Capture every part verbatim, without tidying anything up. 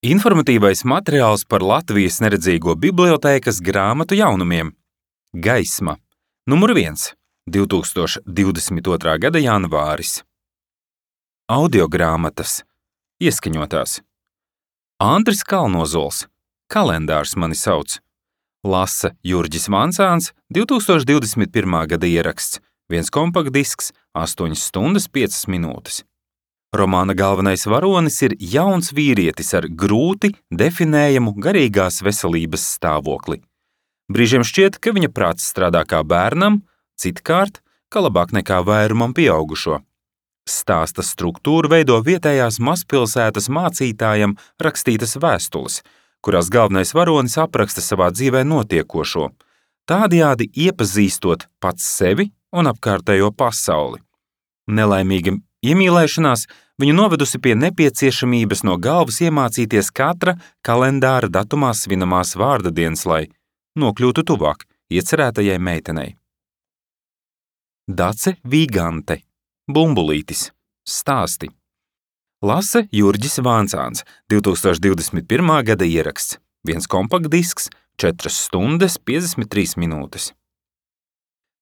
Informatīvais materiāls par Latvijas neredzīgo bibliotēkas grāmatu jaunumiem. Gaisma. Numur viens. divi tūkstoši divdesmit otrā gada janvāris. Audiogrāmatas. Ieskaņotās. Andris Kalnozols. Kalendārs mani sauc. Lasa Jurģis Vancāns, divi tūkstoši divdesmit pirmā gada ieraksts. Viens kompaktdisks, astoņas stundas piecas minūtes. Romāna galvenais varonis ir jauns vīrietis ar grūti definējamu garīgās veselības stāvokli. Brīžiem šķiet, ka viņa prāts strādā kā bērnam, citkārt, ka labāk nekā vairumam pieaugušo. Stāsta struktūru veido vietējās mazpilsētas mācītājam rakstītas vēstules, kurās galvenais varonis apraksta savā dzīvē notiekošo, tādējādi iepazīstot pats sevi un apkārtējo pasauli. Nelaimīga iemīlēšanās viņu novedusi pie nepieciešamības no galvas iemācīties katra kalendāra datumā svinamās vārda dienas, lai nokļūtu tuvāk iecerētajai meitenei. Dace Vīgante. Bumbulītis. Stāsti. Lasa Jurģis Vancāns, divi tūkstoši divdesmit pirmā gada ieraksts. Viens kompaktdisks, četras stundas piecdesmit trīs minūtes.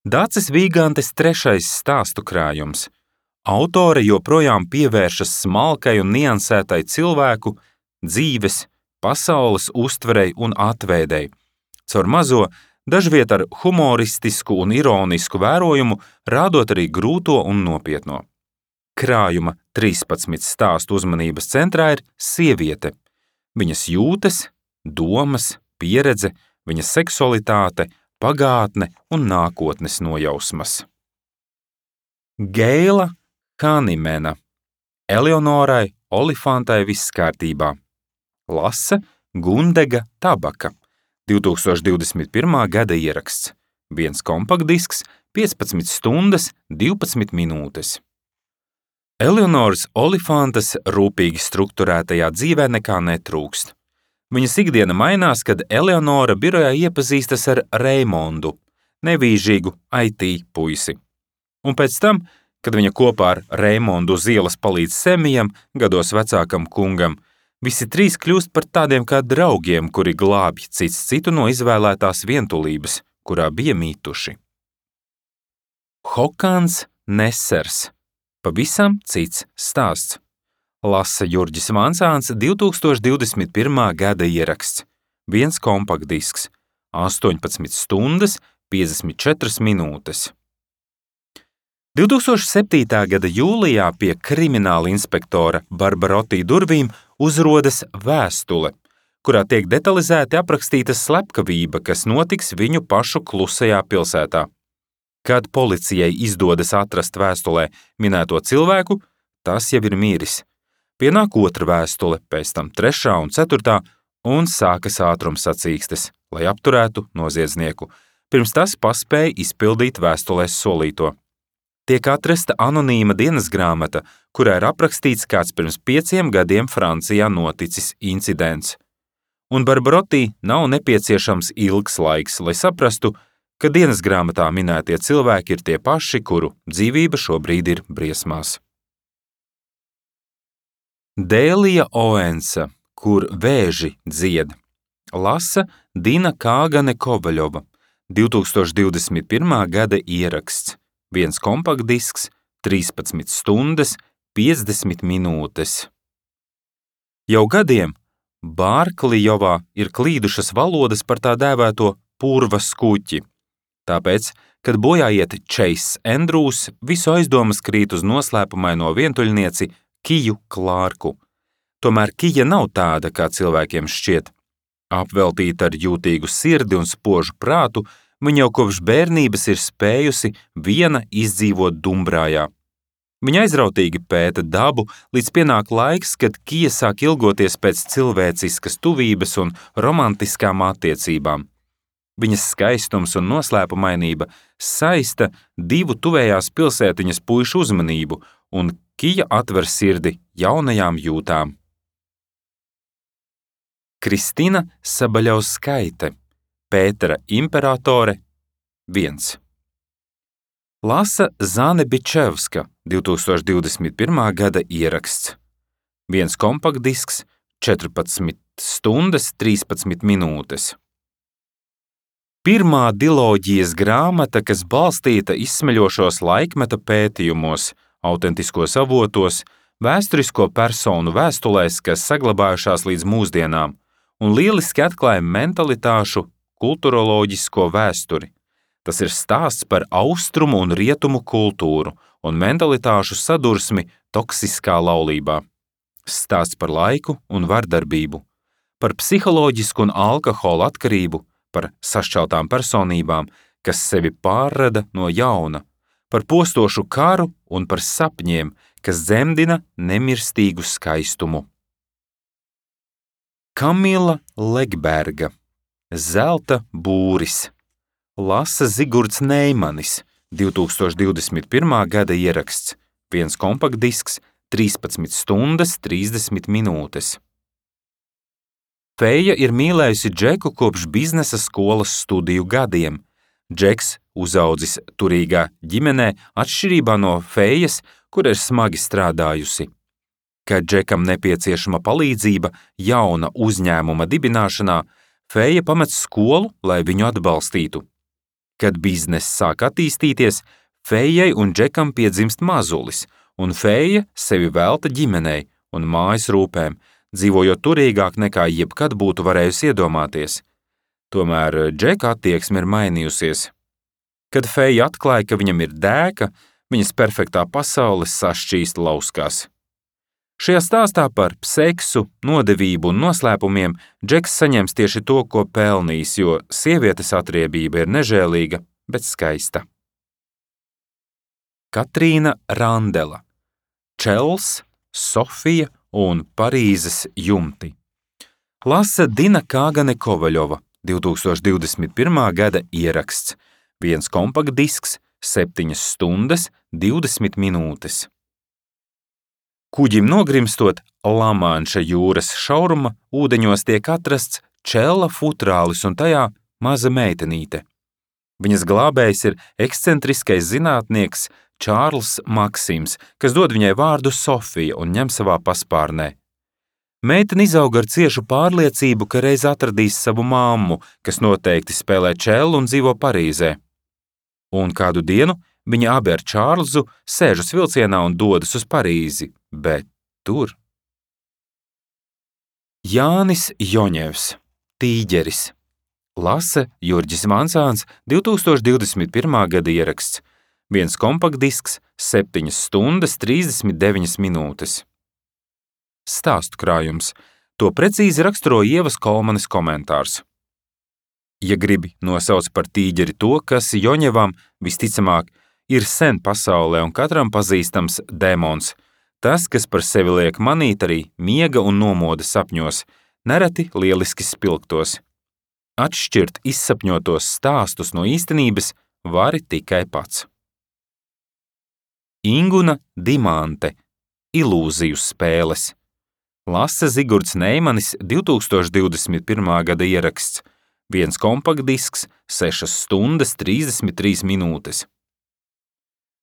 Daces Vīgantes trešais stāstu krājums. Autore joprojām pievēršas smalkai un niansētai cilvēku, dzīves, pasaules uztverei un atveidei, caur mazo, dažviet ar humoristisku un ironisku vērojumu, rādot arī grūto un nopietno. Krājuma trīspadsmit stāstu uzmanības centrā ir sieviete, viņas jūtas, domas, pieredze, viņas seksualitāte, pagātne un nākotnes nojausmas. Geila Hanimena. Eleonorai Olifantai viss kārtībā. Lasa Gundega Tabaka. divi tūkstoši divdesmit pirmā gada ieraksts. Viens kompaktdisks, piecpadsmit stundas, divpadsmit minūtes. Eleonoras Olifantas rūpīgi strukturētajā dzīvē nekā netrūkst. Viņas ikdiena mainās, kad Eleonora birojā iepazīstas ar Reimondu, nevīžīgu I T puisi. Un pēc tam, kad viņa kopā ar Reimondu uz ielas palīdz Semijam, gados vecākam kungam, visi trīs kļūst par tādiem kā draugiem, kuri glābj cits citu no izvēlētās vientulības, kurā bija mītuši. Hokans Nesers. Pavisam cits stāsts. Lasa Jurģis Vancāns, divi tūkstoši divdesmit pirmā gada ieraksts. Viens kompaktdisks, astoņpadsmit stundas, piecdesmit četras minūtes. divi tūkstoši septītā gada jūlijā pie krimināla inspektora Barbaroti durvīm uzrodas vēstule, kurā tiek detalizēti aprakstīta slepkavība, kas notiks viņu pašu klusajā pilsētā. Kad policijai izdodas atrast vēstulē minēto cilvēku, tas jau ir miris. Pienāk otra vēstule, pēc tam trešā un ceturtā, un sākas ātrumsacīkstes, lai apturētu noziedznieku, pirms tas paspēja izpildīt vēstulēs solīto. Tiek atrasta anonīma dienasgrāmata, kurā ir aprakstīts kāds pirms pieciem gadiem Francijā noticis incidents. Un Barbaroti nav nepieciešams ilgs laiks, lai saprastu, ka dienasgrāmatā minētie cilvēki ir tie paši, kuru dzīvība šobrīd ir briesmās. Dēlija Oensa, kur vēži dzied. Lasa Dina Kāgane Kovaļova, divi tūkstoši divdesmit pirmā gada ieraksts. Viens kompaktdisks, trīspadsmit stundas, piecdesmit minūtes. Jau gadiem Bārklijovā ir klīdušas valodas par tā dēvēto purva skuķi. Tāpēc, kad bojā iet Chase Andrews, visu aizdomas krīt uz noslēpumaino vientuļnieci Kiju Klārku. Tomēr Kija nav tāda, kā cilvēkiem šķiet. Apveltīta ar jūtīgu sirdi un spožu prātu, viņa jau kopš bērnības ir spējusi viena izdzīvot Dumbrājā. Viņa aizrautīgi pēta dabu, līdz pienāk laiks, kad Kija sāk ilgoties pēc cilvēciskas tuvības un romantiskām attiecībām. Viņas skaistums un noslēpumainība saista divu tuvējās pilsētiņas puišu uzmanību, un Kija atver sirdi jaunajām jūtām. Kristina Sabaļauskaite. Pētera imperatore. viens. Lasa Zane Bičevska, divi tūkstoši divdesmit pirmā gada ieraksts. Viens kompaktdisks, četrpadsmit stundas trīspadsmit minūtes. Pirmā diloģijas grāmata, kas balstīta izsmeļošos laikmeta pētījumos, autentiskos avotos, vēsturisko personu vēstulēs, kas saglabājušās līdz mūsdienām, un lieliski atklāja mentalitāšu kulturoloģisko vēsturi. Tas ir stāsts par austrumu un rietumu kultūru un mentalitāšu sadursmi toksiskā laulībā. Stāsts par laiku un vardarbību, par psiholoģisku un alkohola atkarību, par sašķeltām personībām, kas sevi pārrada no jauna, par postošu karu un par sapņiem, kas dzemdina nemirstīgu skaistumu. Kamila Legberga, Zelta būris, lasa Zigurds Neimanis, divtūkstoš divdesmit pirmā gada ieraksts, viens kompaktdisks, trīspadsmit stundas trīsdesmit minūtes. Feja ir mīlējusi Džeku kopš biznesa skolas studiju gadiem. Džeks uzaudzis turīgā ģimenē atšķirībā no Fejas, kur ir smagi strādājusi. Kad Džekam nepieciešama palīdzība jauna uzņēmuma dibināšanā, Feja pamet skolu, lai viņu atbalstītu. Kad bizness sāk attīstīties, Fejai un Džekam piedzimst mazulis, un Feja sevi velta ģimenei un mājas rūpēm, dzīvojot turīgāk nekā jebkad būtu varējusi iedomāties. Tomēr Džeka attieksme ir mainījusies. Kad Feja atklāja, ka viņam ir dēka, viņas perfektā pasaule sašķīst lauskās. Šajā stāstā par seksu, nodevību un noslēpumiem Džeks saņems tieši to, ko pelnījis, jo sievietes atriebība ir nežēlīga, bet skaista. Katrīna Randela, Čels, Sofija un Parīzes jumti. Lasa Dina Kāgane Kovaļova, divtūkstoš divdesmit pirmā gada ieraksts, viens kompaktdisks, septiņas stundas, divdesmit minūtes. Kuģim nogrimstot, Lamanša jūras šauruma ūdeņos tiek atrasts čela futrālis un tajā maza meitenīte. Viņas glābējs ir ekscentriskais zinātnieks Čārls Maksims, kas dod viņai vārdu Sofija un ņem savā paspārnē. Meitene izauga ar ciešu pārliecību, ka reiz atradīs savu mammu, kas noteikti spēlē čelu un dzīvo Parīzē. Un kādu dienu viņa abi ar Čārlzu sēžas vilcienā un dodas uz Parīzi, bet tur. Jānis Joņevs, Tīģeris, lasa Jurģis Vansāns, divtūkstoš divdesmit pirmā gada ieraksts, viens kompaktdisks, septiņas stundas trīsdesmit deviņas minūtes. Stāstu krājums. To precīzi raksturo Ievas Kolmanes komentārs. Ja gribi nosauc par tīģeri to, kas Joņevam visticamāk ir sen pasaulē un katram pazīstams demons, tas, kas par sevi liek manīt arī miega un nomoda sapņos, nereti lieliski spilgtos. Atšķirt izsapņotos stāstus no īstenības vari tikai pats. Inguna Dimante, Ilūziju spēles. Lasa Zigurds Neimanis, divtūkstoš divdesmit pirmā gada ieraksts, viens kompaktdisks, sešas stundas trīsdesmit trīs minūtes.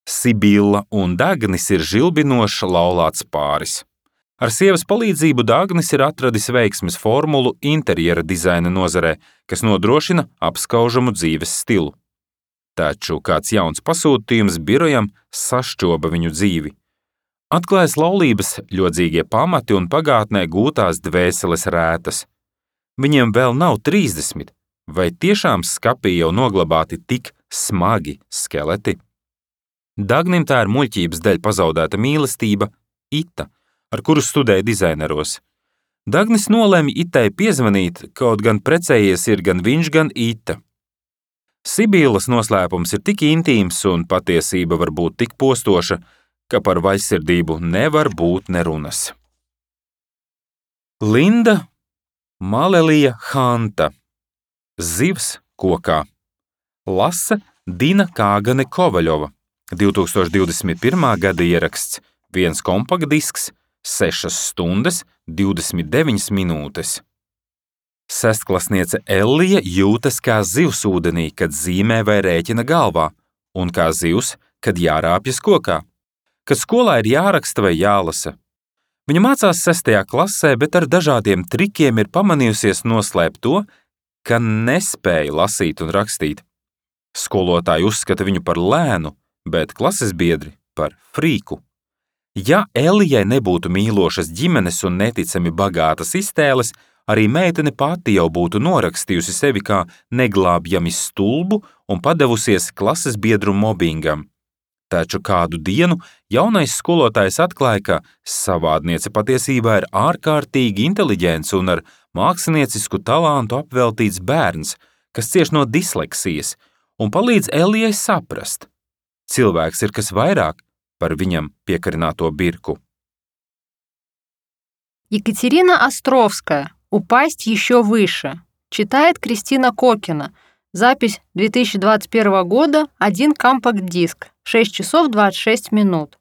Sibilla un Dagnis ir žilbinošs laulāts pāris. Ar sievas palīdzību Dagnis ir atradis veiksmes formulu interjera dizaina nozarē, kas nodrošina apskaužamu dzīves stilu. Taču kāds jauns pasūtījums birojam sašķoba viņu dzīvi. Atklājas laulības ļodzīgie pamati un pagātnē gūtās dvēseles rētas. Viņiem vēl nav trīsdesmit, vai tiešām skapī jau noglabāti tik smagi skeleti? Dagnim tā ir muļķības dēļ pazaudēta mīlestība, Ita, ar kuru studēja dizaineros. Dagnis nolēma Itai piezvanīt, kaut gan precējies ir gan viņš, gan Ita. Sibillas noslēpums ir tik intīms un patiesība var būt tik postoša, ka par vaļsirdību nevar būt nerunas. Linda Malelija Hanta, Zivs kokā. Lasa Dina Kāgane Kovaļova, divtūkstoš divdesmit pirmā gada ieraksts, viens kompaktdisks, sešas stundas, divdesmit deviņas minūtes. Sestklasniece Ellija jūtas kā zivs ūdenī, kad zīmē vai rēķina galvā, un kā zivs, kad jārāpjas kokā, kad skolā ir jāraksta vai jālasa. Viņa mācās sestajā klasē, bet ar dažādiem trikiem ir pamanījusies noslēpt to, ka nespēja lasīt un rakstīt. Skolotāji uzskata viņu par lēnu, bet klases biedri par frīku. Ja Elijai nebūtu mīlošas ģimenes un neticami bagātas iztēles, arī meitene pati jau būtu norakstījusi sevi kā neglābjami stulbu un padevusies klases biedru mobbingam. Taču kādu dienu jaunais skolotājs atklāja, ka savādniece patiesībā ir ārkārtīgi inteliģents un ar māksliniecisku talantu apveltīts bērns, kas cieš no disleksijas, un palīdz Elijai saprast. Cilvēks ir kas vairāk par viņam piekarināto birku. Екатерина Островская. «Упасть еще выше». Читает Кристина Кокина. Запись две тысячи двадцать первого года, один компакт-диск, шесть часов двадцать шесть минут.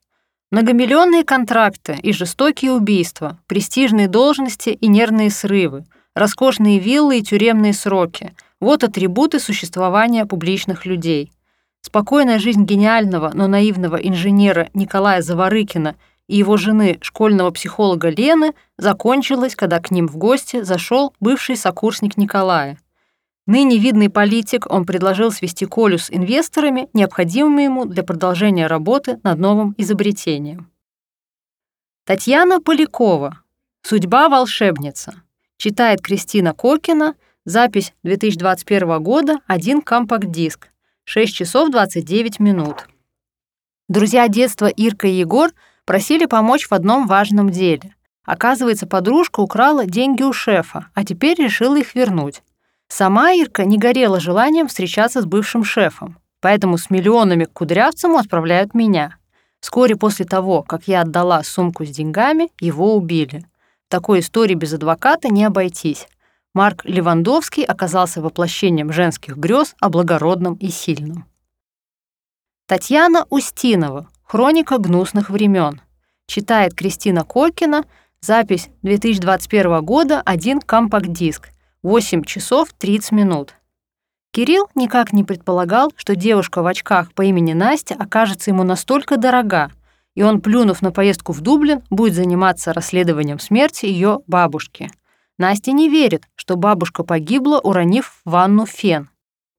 Многомиллионные контракты и жестокие убийства, престижные должности и нервные срывы, роскошные виллы и тюремные сроки – вот атрибуты существования публичных людей. Спокойная жизнь гениального, но наивного инженера Николая Заворыкина и его жены, школьного психолога Лены, закончилась, когда к ним в гости зашел бывший сокурсник Николая. Ныне видный политик, он предложил свести Колю с инвесторами, необходимыми ему для продолжения работы над новым изобретением. Татьяна Полякова. «Судьба волшебница». Читает Кристина Кокина. Запись две тысячи двадцать первого года, один компакт-диск, шесть часов двадцать девять минут. Друзья детства Ирка и Егор просили помочь в одном важном деле. Оказывается, подружка украла деньги у шефа, а теперь решила их вернуть. Сама Ирка не горела желанием встречаться с бывшим шефом, поэтому с миллионами к Кудрявцеву отправляют меня. Вскоре после того, как я отдала сумку с деньгами, его убили. В такой истории без адвоката не обойтись. Марк Левандовский оказался воплощением женских грез о благородном и сильном. Татьяна Устинова. «Хроника гнусных времен». Читает Кристина Кокина. Запись две тысячи двадцать первого года, один компакт-диск, восемь часов тридцать минут. Кирилл никак не предполагал, что девушка в очках по имени Настя окажется ему настолько дорога, и он, плюнув на поездку в Дублин, будет заниматься расследованием смерти ее бабушки. Настя не верит, что бабушка погибла, уронив в ванну фен.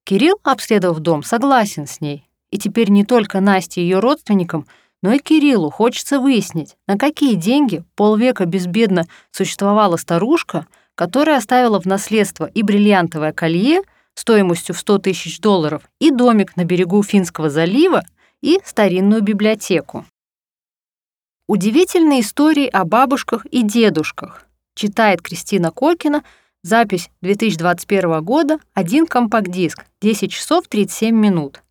Кирилл, обследовав дом, согласен с ней. И теперь не только Насте и ее родственникам, но и Кириллу хочется выяснить, на какие деньги полвека безбедно существовала старушка, которая оставила в наследство и бриллиантовое колье стоимостью в сто тысяч долларов, и домик на берегу Финского залива, и старинную библиотеку. Удивительные истории о бабушках и дедушках. Читает Кристина Кокина. Запись две тысячи двадцать первого года, один компакт-диск, десять часов тридцать семь минут.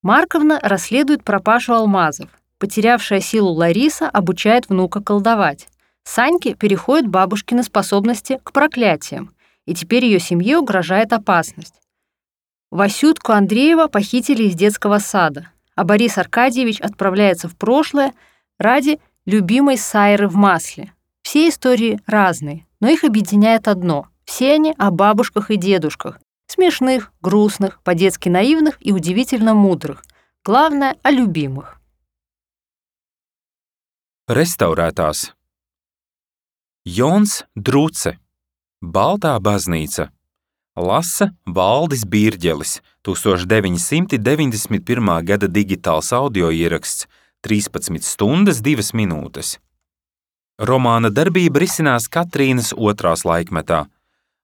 Марковна расследует пропажу алмазов. Потерявшая силу Лариса обучает внука колдовать. Саньке переходят бабушкины способности к проклятиям, и теперь ее семье угрожает опасность. Васютку Андреева похитили из детского сада, а Борис Аркадьевич отправляется в прошлое ради любимой Сайры в масле. Все истории разные, но их объединяет одно — все они о бабушках и дедушках, смешных, грустных, по-детски наивных и удивительно мудрых. Главное — о любимых. Restaurētās. Jons Druce. Baltā baznīca. Lasa Valdis Bīrģelis. deviņpadsmit deviņdesmit pirmā gada digitāls audio ieraksts. trīspadsmit stundas divas minūtes. Romāna darbība risinās Katrīnas otrās laikmetā,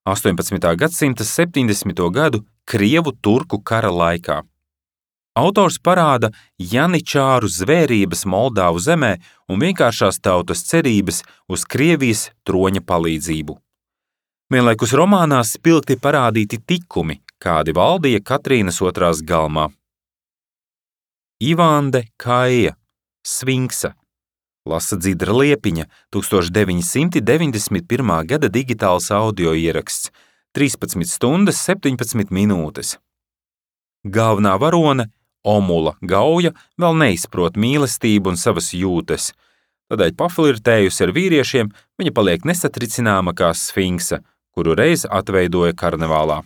astoņpadsmitā gadsimta septiņdesmito gadu Krievu-turku kara laikā. Autors parāda janičāru zvērības Moldāvu zemē un vienkāršās tautas cerības uz Krievijas troņa palīdzību. Vienlaikus romānā spilgti parādīti tikumi, kādi valdīja Katrīnas otrās galmā. Ivande Kaija, Sfinksa. Lasa Dzidra Liepiņa, deviņpadsmit deviņdesmit pirmā gada digitāls audio ieraksts, trīspadsmit stundas septiņpadsmit minūtes. Galvenā varone, Omula Gauja, vēl neizprot mīlestību un savas jūtas. Tādēļ paflirtējusi ar vīriešiem, viņa paliek nesatricināma kā Sfinksa, kuru reiz atveidoja karnevālā.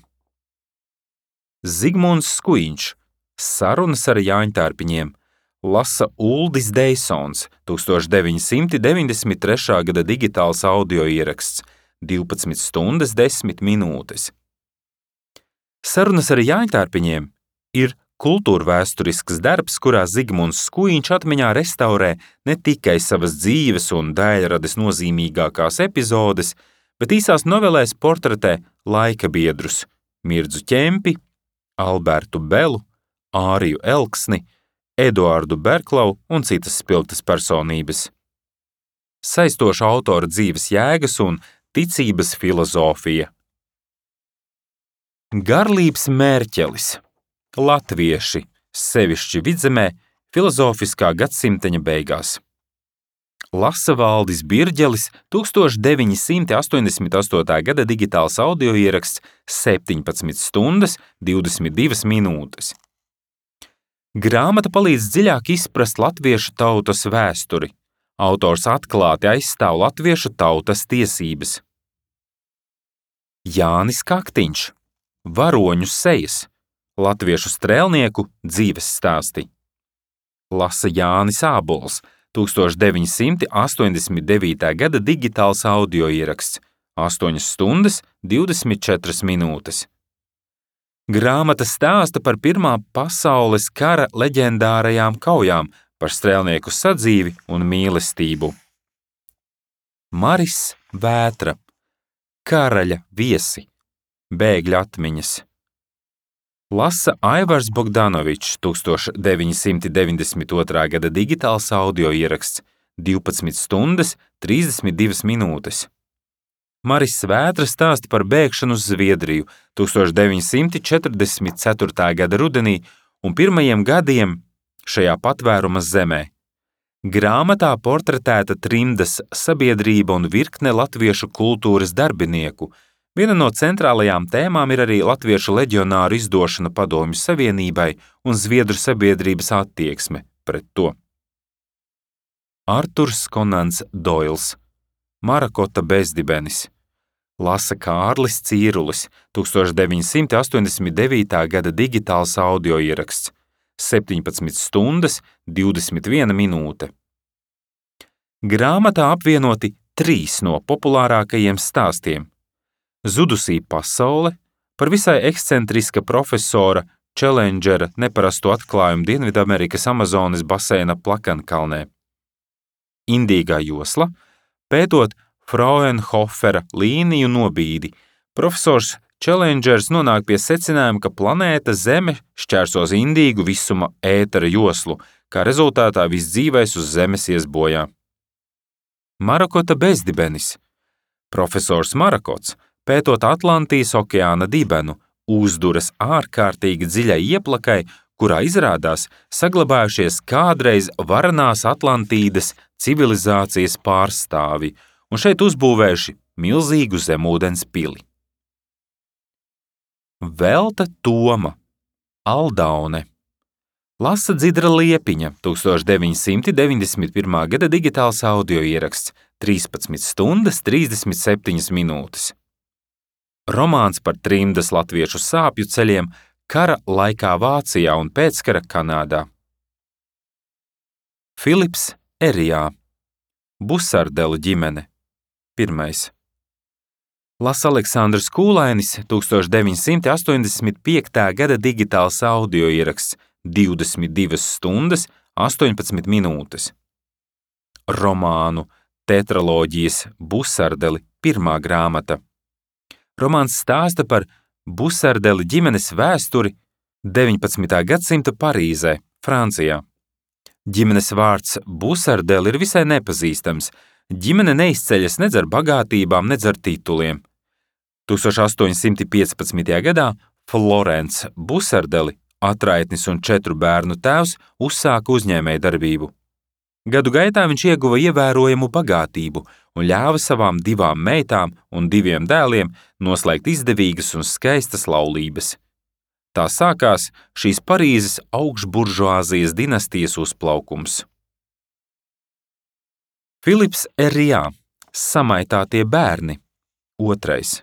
Zigmunds Skujiņš. Sarunas ar Jāņtārpiņiem. Lasa Uldis Deisons, tūkstoš deviņi simti deviņdesmit trešā gada digitāls audio ieraksts, divpadsmit stundas desmit minūtes. Sarunas ar Jāņtārpiņiem ir kultūrvēsturisks darbs, kurā Zigmunds Skujiņš atmiņā restaurē ne tikai savas dzīves un daļrades nozīmīgākās epizodes, bet īsās novelēs portretē laika biedrus Mirdzu Ķempi, Albertu Belu, Āriju Elksni, Eduardu Berklau un citas spilgtas personības. Saistoša autora dzīves jēgas un ticības filozofija. Garlības Mērķelis. Latvieši, sevišķi Vidzemē, filozofiskā gadsimteņa beigās. Lasa Valdis Birģelis, tūkstoš deviņi simti astoņdesmit astotā gada digitāls audio ieraksts, septiņpadsmit stundas divdesmit divas minūtes. Grāmata palīdz dziļāk izprast latviešu tautas vēsturi. Autors atklāti aizstāv latviešu tautas tiesības. Jānis Kaktiņš. Varoņu sejas. Latviešu strēlnieku dzīves stāsti. Lasa Jānis Ābols, tūkstoš deviņi simti astoņdesmit devītā gada digitāls audio ieraksts, astoņas stundas divdesmit četras minūtes. Grāmata stāsta par Pirmā pasaules kara leģendārajām kaujām, par strēlnieku sadzīvi un mīlestību. Maris Vētra. Karaļa viesi. Bēgļu atmiņas. Lasa Aivars Bogdanovičs, tūkstoš deviņi simti deviņdesmit otrā gada digitāls audio ieraksts, divpadsmit stundas trīsdesmit divas minūtes. Maris Vētra stāsta par bēgšanu uz Zviedriju tūkstoš deviņi simti četrdesmit ceturtā gada rudenī un pirmajiem gadiem šajā patvēruma zemē. Grāmatā portretēta trimdas sabiedrība un virkne latviešu kultūras darbinieku. Viena no centrālajām tēmām ir arī latviešu leģionāru izdošana Padomju Savienībai un zviedru sabiedrības attieksme pret to. Arturs Konants Doils. Marakota bezdibenis. Lasa Kārlis Cīrulis, tūkstoš deviņi simti astoņdesmit devītā gada digitāls audio ieraksts, septiņpadsmit stundas divdesmit viena minūte. Grāmatā apvienoti trīs no populārākajiem stāstiem. Zudusī pasaule, par visai ekscentriska profesora Čelendžera neparastu atklājumu Dienvidamerikas Amazonas baseina Plakankalnē. Indīgā josla, pētot Fraunhofera līniju nobīdi, profesors Čelendžers nonāk pie secinājuma, ka planēta Zeme šķērsos indīgu visuma ētera joslu, kā rezultātā viss dzīvais uz Zemes ies bojā. Marakota bezdibenis. Profesors Marakots, pētot Atlantijas okeāna dibenu, uzduras ārkārtīgi dziļai ieplakai, kurā izrādās saglabājušies kādreiz varanās Atlantīdas civilizācijas pārstāvi un šeit uzbūvējuši milzīgu zemūdens pili. Velta Toma. Aldaune. Lasa Dzidra Liepiņa, tūkstoš deviņi simti deviņdesmit pirmā gada digitāls audio ieraksts, trīspadsmit stundas trīsdesmit septiņas minūtes. Romāns par trimdas latviešu sāpju ceļiem kara laikā Vācijā un pēckara Kanādā. Filips Erijā. Busardelu ģimene. Pirmais. Lasa Aleksandrs Kūlainis, tūkstoš deviņi simti astoņdesmit piektā gada digitāls audio ieraksts, divdesmit divas stundas astoņpadsmit minūtes. Romānu Tetraloģijas Busardeli pirmā grāmata. Romāns stāsta par Busardeli ģimenes vēsturi deviņpadsmitā gadsimta Parīzē, Francijā. Ģimenes vārds Busardeli ir visai nepazīstams. Ģimene neizceļas nedz ar bagātībām, nedz ar tituliem. tūkstoš astoņi simti piecpadsmitajā gadā Florence Busardeli, atraitnis un četru bērnu tēvs, uzsāka uzņēmējdarbību. Gadu gaitā viņš ieguva ievērojamu bagātību un ļāva savām divām meitām un diviem dēliem noslēgt izdevīgas un skaistas laulības. Tā sākās šīs Parīzes augšburžuāzijas dinastijas uzplaukums. Filips Erijā. Samaitātie bērni. Otrais.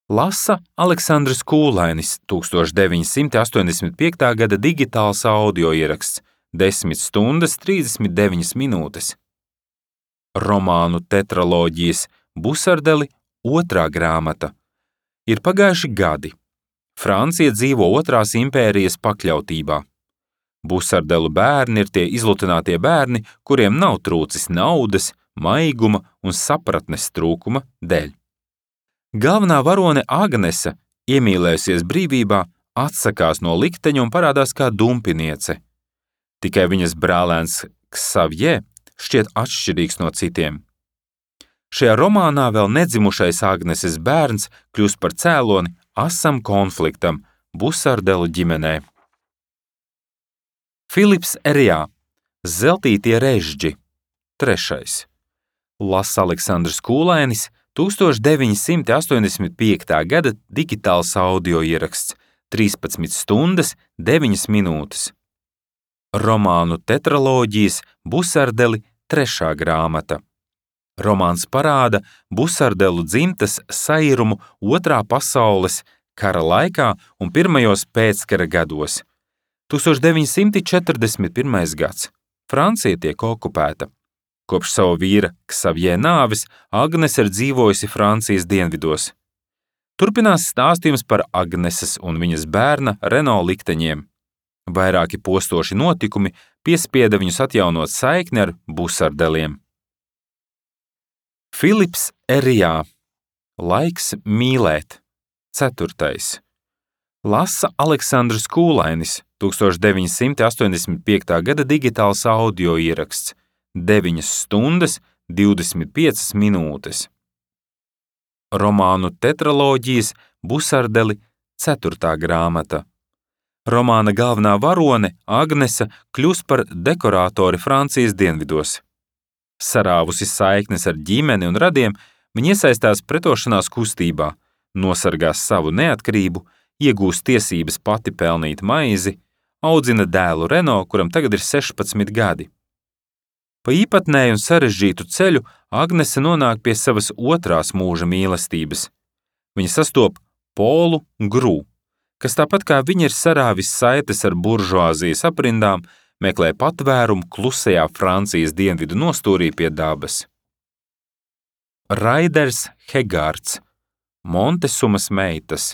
Lasa Aleksandrs Kūlainis, tūkstoš deviņi simti astoņdesmit piektā gada digitāls audio ieraksts, desmit stundas trīsdesmit deviņas minūtes. Romānu tetraloģijas Busardeli otrā grāmata. Ir pagājuši gadi. Francija dzīvo otrās impērijas pakļautībā. Busardelu bērni ir tie izlutinātie bērni, kuriem nav trūcis naudas, maiguma un sapratnes trūkuma dēļ. Galvenā varone Agnese, iemīlējusies brīvībā, atsakās no likteņa un parādās kā dumpiniece. Tikai viņas brālēns Ksavjē šķiet atšķirīgs no citiem. Šajā romānā vēl nedzimušais Agneses bērns kļūst par cēloni asam konfliktam Busardelu ģimenē. Filips Erijā, Zeltītie režģi, trešais. Lasa Aleksandrs Kūlainis, tūkstoš deviņi simti astoņdesmit piektā gada digitāls audio ieraksts, trīspadsmit stundas deviņas minūtes. Romānu tetraloģijas Busardeli trešā grāmata. Romāns parāda Busardelu dzimtas sairumu otrā pasaules kara laikā un pirmajos pēckara gados. tūkstoš deviņi simti četrdesmit pirmais gads. Francija tiek okupēta. Kopš savu vīra Ksavjē nāves Agnese ir dzīvojusi Francijas dienvidos. Turpinās stāstījums par Agneses un viņas bērna Reno likteņiem. Vairāki postoši notikumi piespieda viņus atjaunot saikni ar Busardeliem. Filips Erijā, Laiks mīlēt, ceturtais. Lasa Aleksandrs Kūlainis, tūkstoš deviņi simti astoņdesmit piektā gada digitāls audio ieraksts, deviņas stundas divdesmit piecas minūtes. Romānu tetraloģijas Busardeli ceturtā grāmata. Romāna galvenā varone Agnese kļūst par dekorātori Francijas dienvidos. Sarāvusi saiknes ar ģimeni un radiem, viņa iesaistās pretošanās kustībā, nosargās savu neatkarību, iegūst tiesības pati pelnīt maizi, audzina dēlu Reno, kuram tagad ir sešpadsmit gadi. Pa īpatnēju un sarežģītu ceļu Agnese nonāk pie savas otrās mūža mīlestības. Viņa sastop Polu Grū, kas tāpat kā viņa ir sarāvis saites ar buržuāzijas aprindām, meklē patvērumu klusajā Francijas dienvidu nostūrī pie dabas. Raiders Hegārds, Montesumas meitas,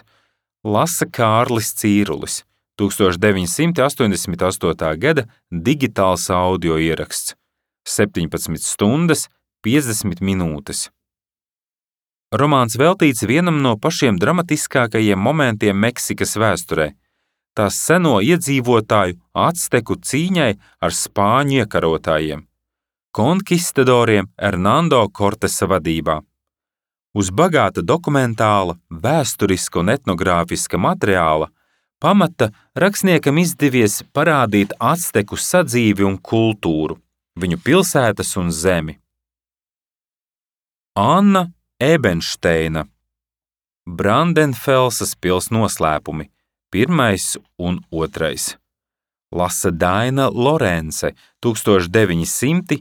lasa Kārlis Cīrulis, tūkstoš deviņi simti astoņdesmit astotā gada digitāls audio ieraksts, septiņpadsmit stundas piecdesmit minūtes. Romāns veltīts vienam no pašiem dramatiskākajiem momentiem Meksikas vēsturē, tās seno iedzīvotāju acteku cīņai ar spāņu iekarotājiem, konkistadoriem Hernando Cortesa vadībā. Uz bagāta dokumentāla, vēsturiska un etnogrāfiska materiāla pamata rakstniekam izdevies parādīt acteku sadzīvi un kultūru, viņu pilsētas un zemi. Anna Ebenšteina, Brandenfelsas pils noslēpumi, pirmais un otrais. Lasa Daina Lorence, tūkstoš deviņi simti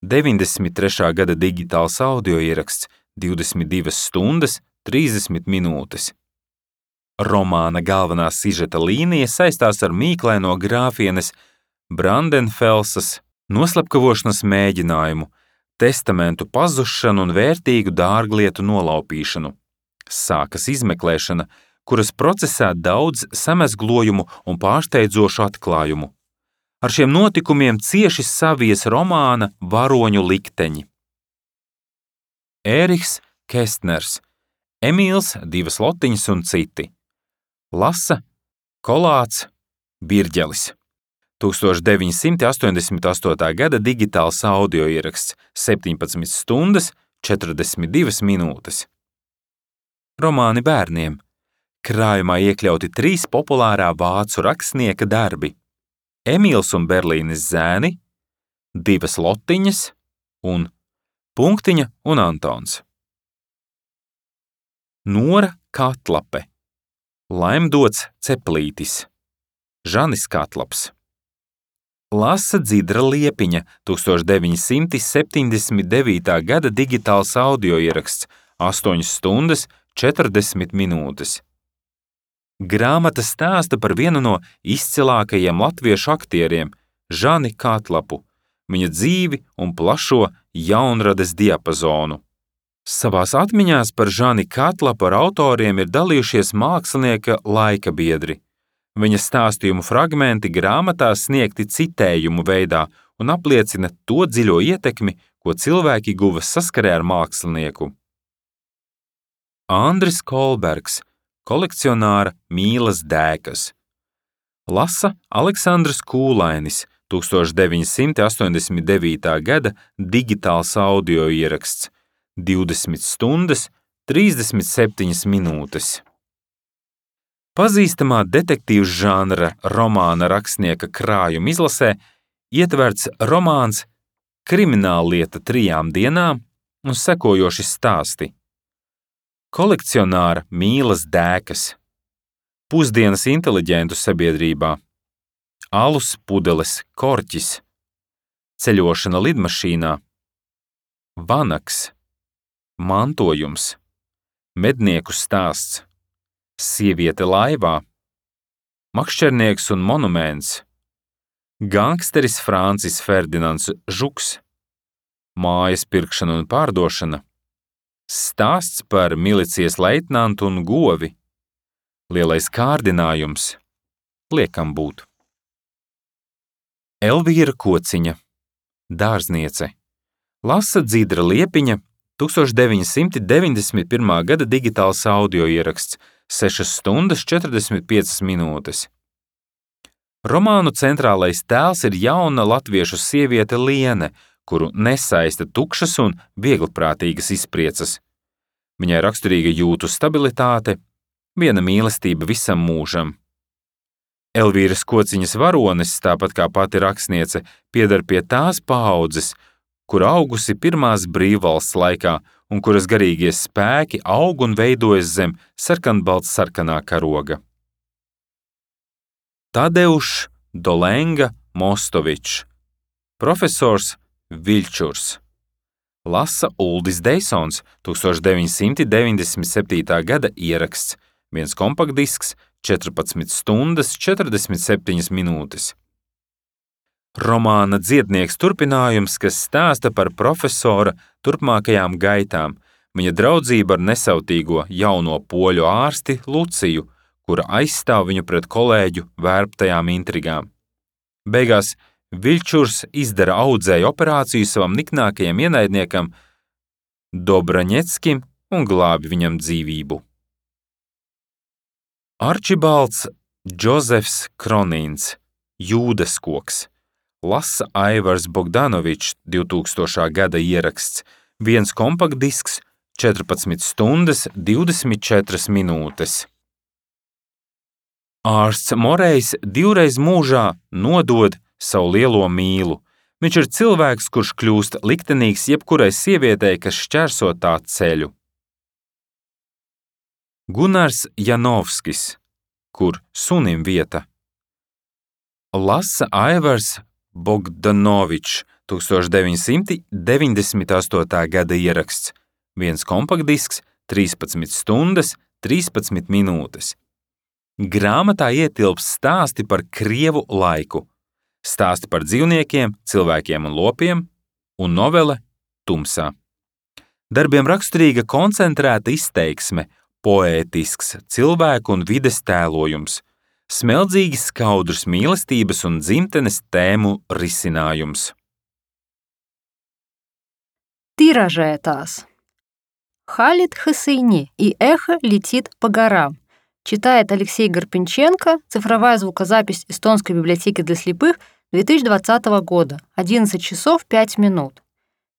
deviņdesmit trešā gada digitāls audio ieraksts, divdesmit divas stundas trīsdesmit minūtes. Romāna galvenā sižeta līnija saistās ar mīklaino grāfienes Brandenfelsas noslepkavošanas mēģinājumu, testamentu pazušanu un vērtīgu dārglietu nolaupīšanu. Sākas izmeklēšana, kuras procesā daudz samezglojumu un pārsteidzošu atklājumu. Ar šiem notikumiem cieši savies romāna varoņu likteņi. Ēriks Kestners, Emīls, divas lotiņas un citi. Lasa Kolāts Birģelis. tūkstoš deviņi simti astoņdesmit astotā gada digitāls audio ieraksts, septiņpadsmit stundas četrdesmit divas minūtes. Romāni bērniem. Krājumā iekļauti trīs populārā vācu rakstnieka darbi – Emīls un Berlīnes zēni, divas lotiņas un Punktiņa un Antons. Nora Katlape, Laimdots Ceplītis, Žanis Katlaps. Lasa Dzidra Liepiņa, tūkstoš deviņi simti septiņdesmit devītā gada digitāls audio ieraksts, astoņas stundas četrdesmit minūtes. Grāmata stāsta par vienu no izcilākajiem latviešu aktieriem, Žani Katlapu, viņa dzīvi un plašo jaunrades diapazonu. Savās atmiņās par Žani Katlapu ar autoriem ir dalījušies mākslinieka laika biedri. Viņa stāstījumu fragmenti grāmatā sniegti citējumu veidā un apliecina to dziļo ietekmi, ko cilvēki guva saskarē ar mākslinieku. Andris Kolbergs, kolekcionāra Mīlas dēkas. Lasa Aleksandrs Kūlainis, tūkstoš deviņi simti astoņdesmit devītā gada digitāls audio ieraksts, divdesmit stundas, trīsdesmit septiņas minūtes. Pazīstamā detektīvu žanra romāna rakstnieka krājuma izlasē ietverts romāns Krimināllieta trijām dienām un sekojoši stāsti. Kolekcionāra Mīlas dēkas, Pusdienas inteliģentu sabiedrībā, Alus pudeles korķis, Ceļošana lidmašīnā, Vanaks, Mantojums, Mednieku stāsts, Sieviete laivā, Makšķernieks un monuments, Gangsteris Francis Ferdinands Žuks, Mājas pirkšana un pārdošana, Stāsts par milicijas leitnantu un govi, Lielais kārdinājums, Liekam būt. Elvīra Kociņa, dārzniece. Lasa Dzidra Liepiņa, tūkstoš deviņi simti deviņdesmit pirmā gada digitāls audio ieraksts, sešas stundas četrdesmit piecas minūtes. Romānu centrālais tēls ir jauna latviešu sieviete Liene, kuru nesaista tukšas un viegliprātīgas izpriecas. Viņai raksturīga jūtu stabilitāte, viena mīlestība visam mūžam. Elvīras Kociņas varonis, tāpat kā pati rakstniece, pieder pie tās paaudzes, kur augusi pirmās brīvvalsts laikā un kuras garīgie spēki aug un veidojas zem sarkanbalts sarkanā karoga. Tadeušs Dolenga Mostovičs, profesors Viļčurs. Lasa Uldis Deisons, tūkstoš deviņi simti deviņdesmit septītā gada ieraksts, viens kompaktdisks, četrpadsmit stundas, četrdesmit septiņas minūtes. Romāna Dziednieks turpinājums, kas stāsta par profesora turpmākajām gaitām, viņa draudzība ar nesautīgo jauno poļu ārsti Luciju, kura aizstāv viņu pret kolēģu vērptajām intrigām. Beigās Viļčurs izdara audzēju operāciju savam niknākajam ienaidniekam Dobraņeckim un glābi viņam dzīvību. Arčibalds Džozefs Kronīns, Jūdas koks. Lasa Aivars Bogdanovičs, divtūkstošā gada ieraksts, viens kompaktdisks, četrpadsmit stundas, divdesmit četras minūtes. Ārsts Morejs divreiz mūžā nodod savu lielo mīlu. Viņš ir cilvēks, kurš kļūst liktenīgs jebkurai sievietei, kas šķērso tā ceļu. Gunārs Janovskis, Kur sunim vieta. Lasa Aivars Bogdanovičs, tūkstoš deviņi simti deviņdesmit astotā gada ieraksts, viens kompaktdisks, trīspadsmit stundas, trīspadsmit minūtes. Grāmatā ietilps stāsti par krievu laiku, stāsti par dzīvniekiem, cilvēkiem un lopiem, un novele Tumsā. Darbiem raksturīga koncentrēta izteiksme, poētisks cilvēku un vides tēlojums, smelddzīgi skaudrs mīlestības un dzimtenes tēmu risinājums. Тиражетас. Халит Хасыни и эхо летит по горам. Читает Алексей Гарпенченко, цифровая звукозапись Эстонской библиотеки для слепых две тысячи двадцатого года, одиннадцать часов пять минут.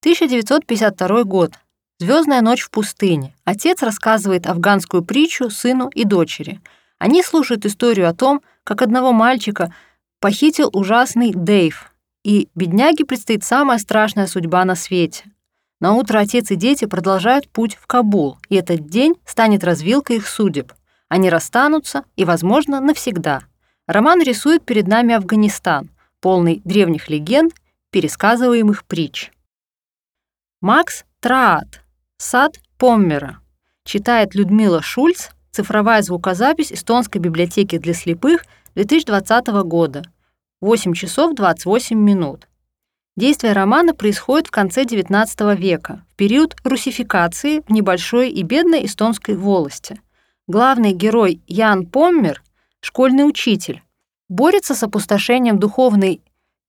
тысяча девятьсот пятьдесят второй год. Звездная ночь в пустыне. Отец рассказывает афганскую притчу сыну и дочери. Они слушают историю о том, как одного мальчика похитил ужасный Дейв, и бедняге предстоит самая страшная судьба на свете. На утро отец и дети продолжают путь в Кабул, и этот день станет развилкой их судеб. Они расстанутся и, возможно, навсегда. Роман рисует перед нами Афганистан, полный древних легенд, пересказываемых притч. Макс Траат. Сад Поммера. Читает Людмила Шульц, цифровая звукозапись Эстонской библиотеки для слепых две тысячи двадцатого года. восемь часов двадцать восемь минут. Действие романа происходит в конце девятнадцатого века, в период русификации в небольшой и бедной эстонской волости. Главный герой Ян Поммер, школьный учитель, борется с опустошением духовной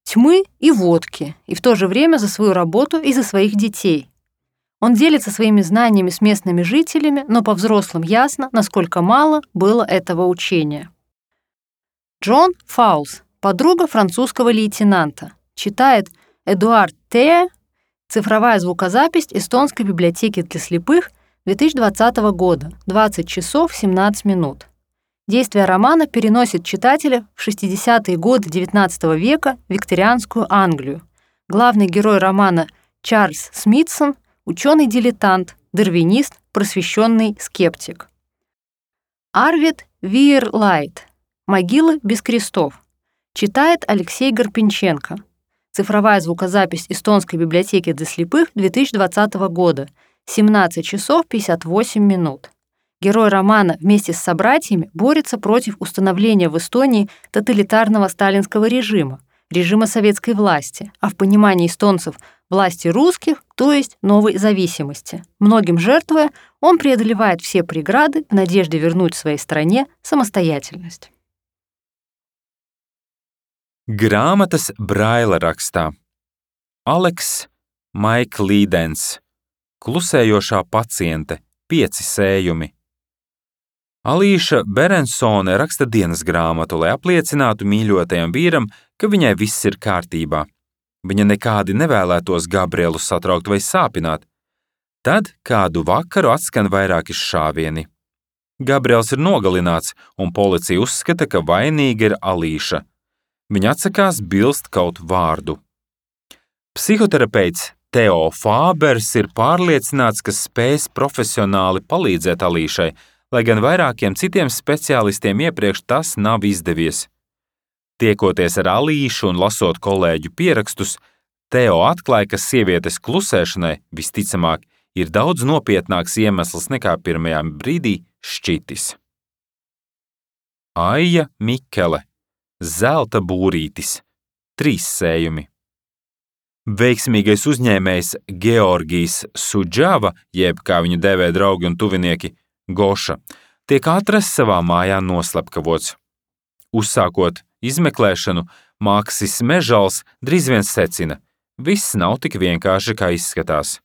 тьмы и водки, и в то же время за свою работу и за своих детей. Он делится своими знаниями с местными жителями, но по-взрослым ясно, насколько мало было этого учения. Джон Фаулс, подруга французского лейтенанта, читает Эдуард Теа, цифровая звукозапись эстонской библиотеки для слепых две тысячи двадцатого года, двадцать часов семнадцать минут. Действие романа переносит читателя в шестидесятые годы девятнадцатого века в викторианскую Англию. Главный герой романа Чарльз Смитсон — ученый-дилетант, дарвинист, просвещенный скептик. Арвид Виерлайт «Могилы без крестов», читает Алексей Гарпенченко. Цифровая звукозапись эстонской библиотеки для слепых две тысячи двадцатого года, семнадцать часов пятьдесят восемь минут. Герой романа вместе с собратьями борется против установления в Эстонии тоталитарного сталинского режима, режима советской власти, а в понимании эстонцев власти русских, то есть новой зависимости. Многим жертвуя, он преодолевает все преграды в надежде вернуть своей стране самостоятельность. Grāmatas Braila rakstā Aleks Maiklīdens Klusējošā paciente pieci sējumi. Alīša Berensone raksta dienas grāmatu, lai apliecinātu mīļotajam vīram, ka viņai viss ir kārtībā. Viņa nekādi nevēlētos Gabrielu satraukt vai sāpināt. Tad kādu vakaru atskan vairāki šāvieni. Gabriels ir nogalināts, un policija uzskata, ka vainīga ir Alīša. Viņa atsakās bilst kaut vārdu. Psihoterapeits Teo Fābers ir pārliecināts, ka spēs profesionāli palīdzēt Alīšai, lai gan vairākiem citiem speciālistiem iepriekš tas nav izdevies. Tiekoties ar Alīšu un lasot kolēģu pierakstus, Teo atklāja, ka sievietes klusēšanai visticamāk ir daudz nopietnāks iemesls nekā pirmajā brīdī šķitis. Aija Mikele Zelta būrītis, trīs sējumi. Veiksmīgais uzņēmējs Georgijs Sudžava, jeb kā viņu dēvē draugi un tuvinieki, Goša, tiek atrasts savā mājā noslepkavots. Uzsākot izmeklēšanu, Maksis Mežals drīz vien secina, viss nav tik vienkārši, kā izskatās.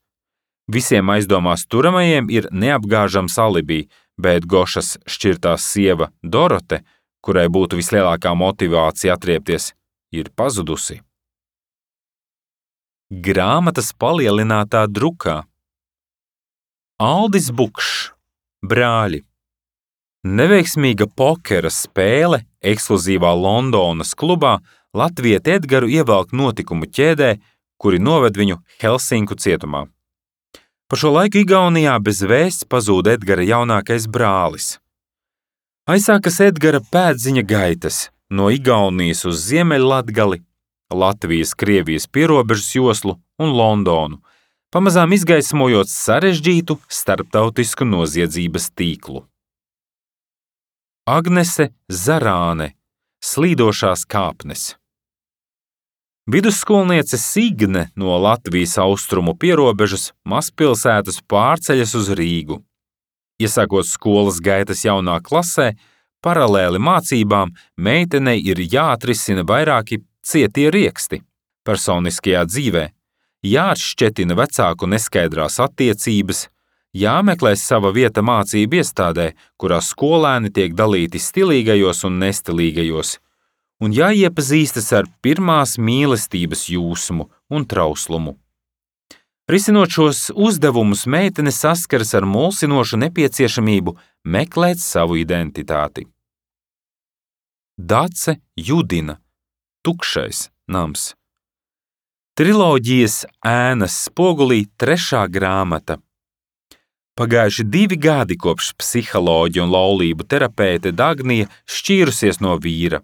Visiem aizdomās turamajiem ir neapgāžams alibi, bet Gošas šķirtā sieva Dorote, kurai būtu vislielākā motivācija atriepties, ir pazudusi. Grāmatas palielinātā drukā. Aldis Bukšs, Brāļi. Neveiksmīga pokera spēle ekskluzīvā Londonas klubā latvieti Edgaru ievelk notikumu ķēdē, kuri noved viņu Helsinku cietumā. Pa šo laiku Igaunijā bez vēsts pazūd Edgara jaunākais brālis. Aizsākas Edgara pēdziņa gaitas no Igaunijas uz Ziemeļlatgali, Latvijas, Krievijas pierobežas joslu un Londonu, pamazām izgaismojot sarežģītu starptautisku noziedzības tīklu. Agnese Zarāne, Slīdošās kāpnes. Vidusskolniece Signe no Latvijas austrumu pierobežas mazpilsētas pārceļas uz Rīgu. Iesākot skolas gaitas jaunā klasē, paralēli mācībām meitenei ir jāatrisina vairāki cietie rieksti personiskajā dzīvē, jāatšķetina vecāku neskaidrās attiecības, jāmeklē sava vieta mācību iestādē, kurā skolēni tiek dalīti stilīgajos un nestilīgajos, un jāiepazīstas ar pirmās mīlestības jūsmu un trauslumu. Risinot šos uzdevumus, meitene saskaras ar mulsinošu nepieciešamību meklēt savu identitāti. Dace Judina, Tukšais nams. Triloģijas Ēnas spogulī trešā grāmata. Pagājuši divi gadi kopš psiholoģa un laulību terapeite Dagnija šķīrusies no vīra.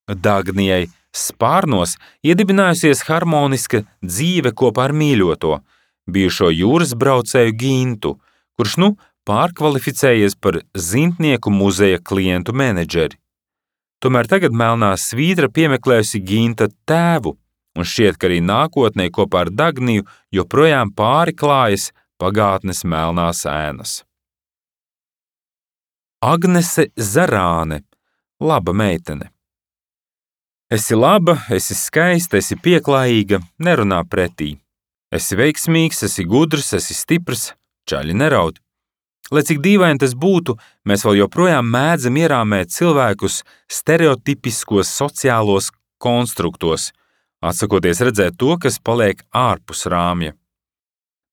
Dagnijai spārnos iedibinājusies harmoniska dzīve kopā ar mīļoto, bijušo jūras braucēju Gintu, kurš nu pārkvalificējies par zintnieku muzeja klientu menedžeri. Tomēr tagad melnā svītra piemeklējusi Ginta tēvu, un šķiet, ka arī nākotnē kopā ar Dagniju joprojām pāri klājas pagātnes melnās ēnas. Agnese Zarāne, laba meitene. Esi laba, esi skaista, esi pieklājīga, nerunā pretī. Esi veiksmīgs, esi gudrs, esi stiprs, čaļi neraud. Lai cik dīvaini tas būtu, mēs vēl joprojām mēdzam ierāmēt cilvēkus stereotipiskos sociālos konstruktos, atsakoties redzēt to, kas paliek ārpus rāmja.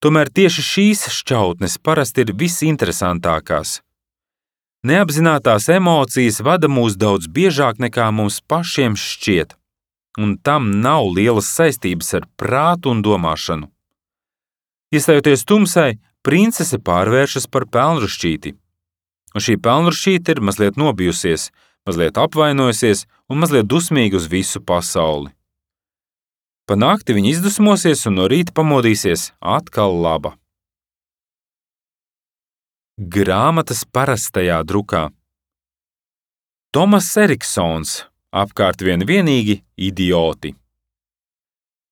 Tomēr tieši šīs šķautnes parasti ir visinteresantākās. Neapzinātās emocijas vada mūs daudz biežāk nekā mums pašiem šķiet, un tam nav lielas saistības ar prātu un domāšanu. Iestājoties tumsai, princese pārvēršas par pelnrušķīti, un šī pelnrušķīte ir mazliet nobijusies, mazliet apvainojusies un mazliet dusmīga uz visu pasauli. Pa nakti viņa izdusmosies un no rīta pamodīsies atkal laba. Grāmatas parastajā drukā. Tomas Eriksons, apkārt vien vienīgi idioti.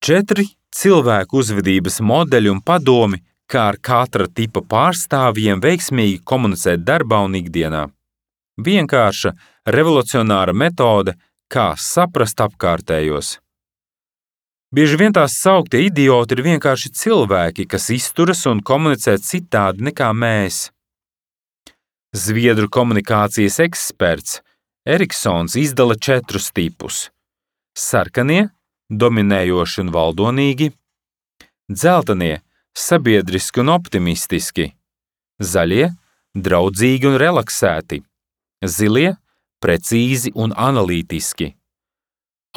Četri cilvēku uzvedības modeļi un padomi, kā ar katra tipa pārstāvjiem veiksmīgi komunicēt darbā un ikdienā. Vienkārša, revolucionāra metode, kā saprast apkārtējos. Bieži vien tās sauktie idioti ir vienkārši cilvēki, kas izturas un komunicē citādi nekā mēs. Zviedru komunikācijas eksperts Eriksons izdala četrus tipus. Sarkanie, dominējoši un valdonīgi, dzeltenie, sabiedriski un optimistiski, zaļie, draudzīgi un relaksēti, zilie, precīzi un analītiski.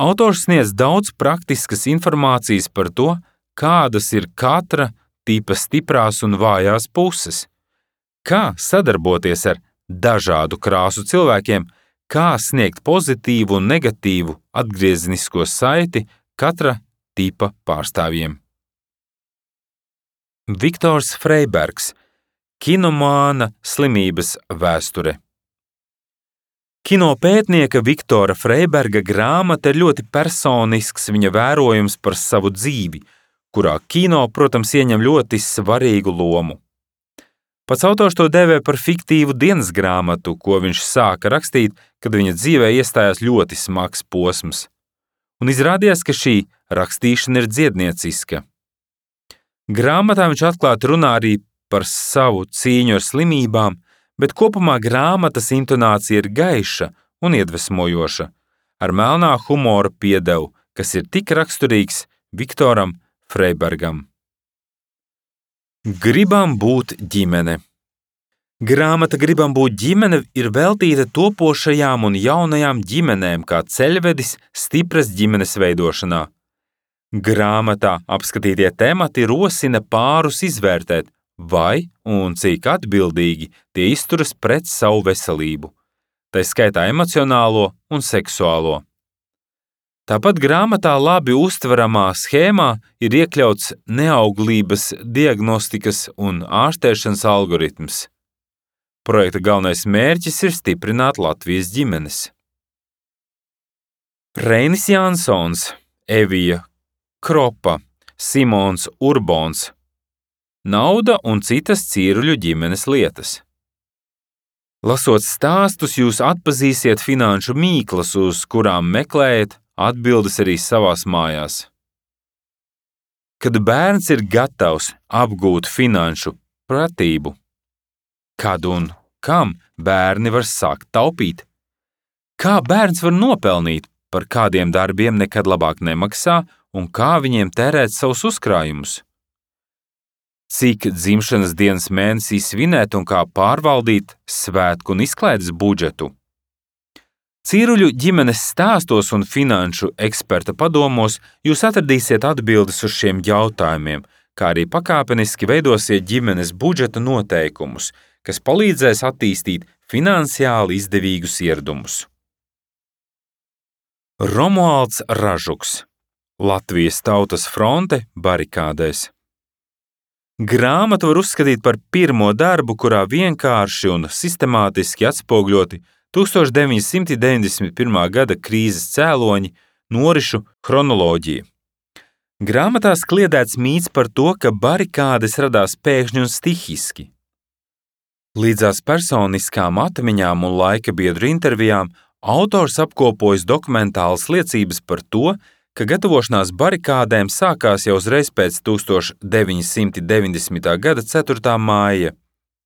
Autors sniedz daudz praktiskas informācijas par to, kādas ir katra tipa stiprās un vājās puses, kā sadarboties ar dažādu krāsu cilvēkiem, kā sniegt pozitīvu un negatīvu atgriezenisko saiti katra tipa pārstāvjiem. Viktors Freibergs, kinomāna slimības vēsture. Kinopētnieka Viktora Freiberga grāmata ir ļoti personisks viņa vērojums par savu dzīvi, kurā kino, protams, ieņem ļoti svarīgu lomu. Pats autors to dēvē par fiktīvu dienas grāmatu, ko viņš sāka rakstīt, kad viņa dzīvē iestājās ļoti smags posms. Un izrādījās, ka šī rakstīšana ir dziednieciska. Grāmatā viņš atklāti runā arī par savu cīņu ar slimībām, bet kopumā grāmatas intonācija ir gaiša un iedvesmojoša, ar melnā humora piedevu, kas ir tik raksturīgs Viktoram Freibergam. Gribam būt ģimene. Grāmata Gribam būt ģimene ir veltīta topošajām un jaunajām ģimenēm kā ceļvedis stipras ģimenes veidošanā. Grāmatā apskatītie temati rosina pārus izvērtēt, vai un cik atbildīgi tie izturas pret savu veselību, tai skaitā emocionālo un seksuālo. Tāpat grāmatā labi uztveramā schēmā ir iekļauts neauglības diagnostikas un ārstēšanas algoritms. Projekta galvenais mērķis ir stiprināt Latvijas ģimenes. Reinis Jansons, Evija Kropa, Simons Urbons. Nauda un citas cīruļu ģimenes lietas. Lasot stāstus, jūs atpazīsiet finanšu mīklas, uz kurām meklējat atbildes arī savās mājās. Kad bērns ir gatavs apgūt finanšu pratību, kad un kam bērni var sākt taupīt? Kā bērns var nopelnīt, par kādiem darbiem nekad labāk nemaksā un kā viņiem tērēt savus uzkrājumus? Cik dzimšanas dienas mēnesī svinēt un kā pārvaldīt svētku un izklaides budžetu? Cīruļu ģimenes stāstos un finanšu eksperta padomos jūs atradīsiet atbildes uz šiem jautājumiem, kā arī pakāpeniski veidosiet ģimenes budžeta noteikumus, kas palīdzēs attīstīt finansiāli izdevīgus ieradumus. Romualds Ražuks, Latvijas Tautas fronte barikādēs. Grāmatu var uzskatīt par pirmo darbu, kurā vienkārši un sistemātiski atspoguļoti tūkstoš deviņi simti deviņdesmit pirmā gada krīzes cēloņi, norišu chronoloģija. Grāmatā kliedēts mīts par to, ka barikādes radās pēkšņi un stihiski. Līdzās personiskām atmiņām un laika biedru intervijām autors apkopojas dokumentālas liecības par to, ka gatavošanās barikādēm sākās jau uzreiz pēc tūkstoš deviņi simti deviņdesmitā gada ceturtā māja,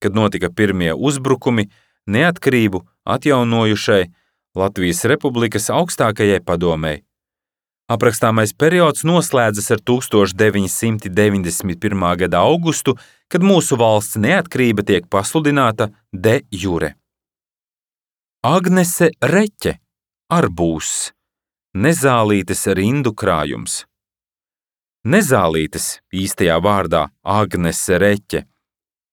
kad notika pirmie uzbrukumi neatkarību atjaunojušai Latvijas Republikas augstākajai padomei. Aprakstāmais periods noslēdzas ar tūkstoš deviņi simti deviņdesmit pirmā gada augustu, kad mūsu valsts neatkarība tiek pasludināta de jure. Agnese Reķe, arbūss, Nezālītes rindu krājums. Nezālītes, īstajā vārdā Agnese Reķe,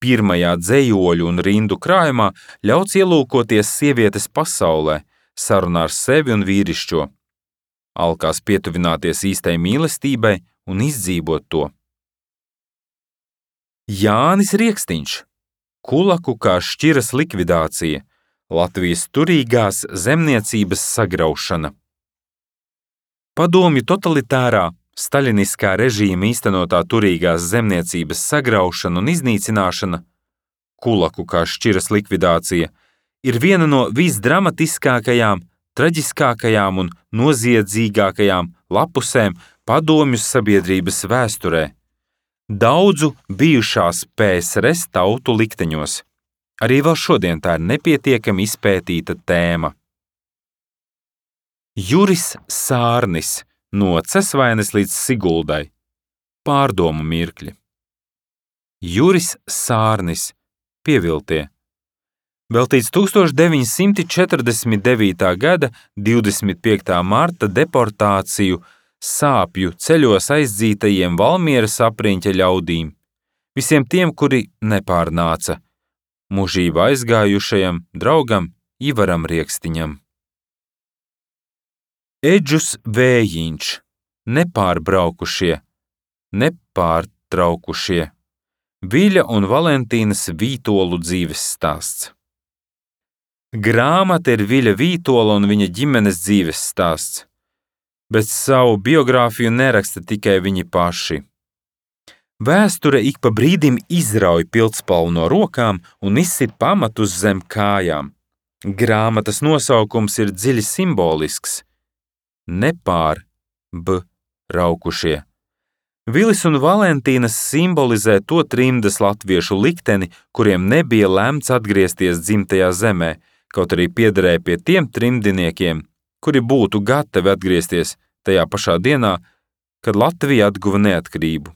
pirmajā dzejoļu un rindu krājumā ļauts ielūkoties sievietes pasaulē, sarunā ar sevi un vīrišķo, alkās pietuvināties īstai mīlestībai un izdzīvot to. Jānis Riekstiņš, kulaku kā šķiras likvidācija, Latvijas turīgās zemniecības sagraušana. Padomju totalitārā, staļiniskā režīma īstenotā turīgās zemniecības sagraušana un iznīcināšana, kulaku kā šķiras likvidācija, ir viena no visdramatiskākajām, traģiskākajām un noziedzīgākajām lapusēm padomju sabiedrības vēsturē, daudzu bijušās P S R S tautu likteņos. Arī vēl šodien tā ir nepietiekami izpētīta tēma. Juris Sārnis, no Cesvaines līdz Siguldai. Pārdomu mirkļi. Juris Sārnis, pieviltie. Veltīts tūkstoš deviņi simti četrdesmit devītā gada divdesmit piektā marta deportāciju sāpju ceļos aizdzītajiem Valmieras apriņķa ļaudīm, visiem tiem, kuri nepārnāca, mūžībā aizgājušajam draugam Ivaram Riekstiņam. Eģus Vējiņš, nepārbraukušie, nepārtraukušie, Viļa un Valentīnas Vītolu dzīves stāsts. Grāmata ir Viļa Vītola un viņa ģimenes dzīves stāsts, bet savu biogrāfiju neraksta tikai viņi paši. Vēsture ik pa brīdim izrauj pildspalvu no rokām un izsit pamatus zem kājām. Grāmatas nosaukums ir dziļi simbolisks. Nepār, b, raukušie. Vilis un Valentīnas simbolizē to trimdas latviešu likteni, kuriem nebija lemts atgriezties dzimtajā zemē, kaut arī piederēja pie tiem trimdiniekiem, kuri būtu gatavi atgriezties tajā pašā dienā, kad Latvija atguva neatkarību.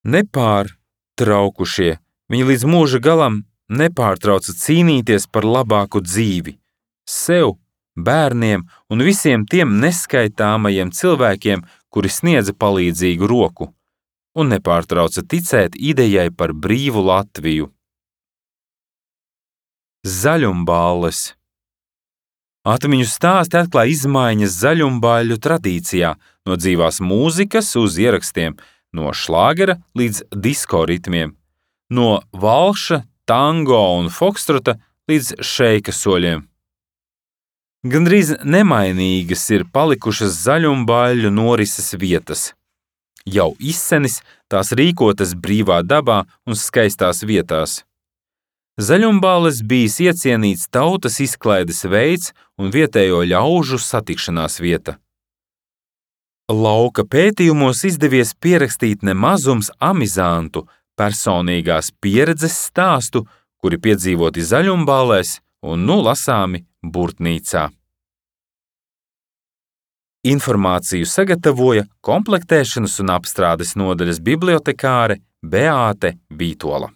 Nepār, traukušie, viņi līdz mūža galam nepārtrauca cīnīties par labāku dzīvi, sev, bērniem un visiem tiem neskaitāmajiem cilvēkiem, kuri sniedza palīdzīgu roku, un nepārtrauca ticēt idejai par brīvu Latviju. Zaļumballes. Atmiņu stāsti atklāja izmaiņas zaļumbāļu tradīcijā, no dzīvās mūzikas uz ierakstiem, no šlāgera līdz disko ritmiem, no valša, tango un fokstrota līdz šeika soļiem. Gandrīz nemainīgas ir palikušas zaļumbāļu norises vietas. Jau izsenis tās rīkotas brīvā dabā un skaistās vietās. Zaļumbāles bijis iecienīts tautas izklaides veids un vietējo ļaužu satikšanās vieta. Lauka pētījumos izdevies pierakstīt nemazums amizantu, personīgās pieredzes stāstu, kuri piedzīvoti zaļumbālēs un nu lasāmi Burtnīcā. Informāciju sagatavoja komplektēšanas un apstrādes nodaļas bibliotekāre Beāte Vītola.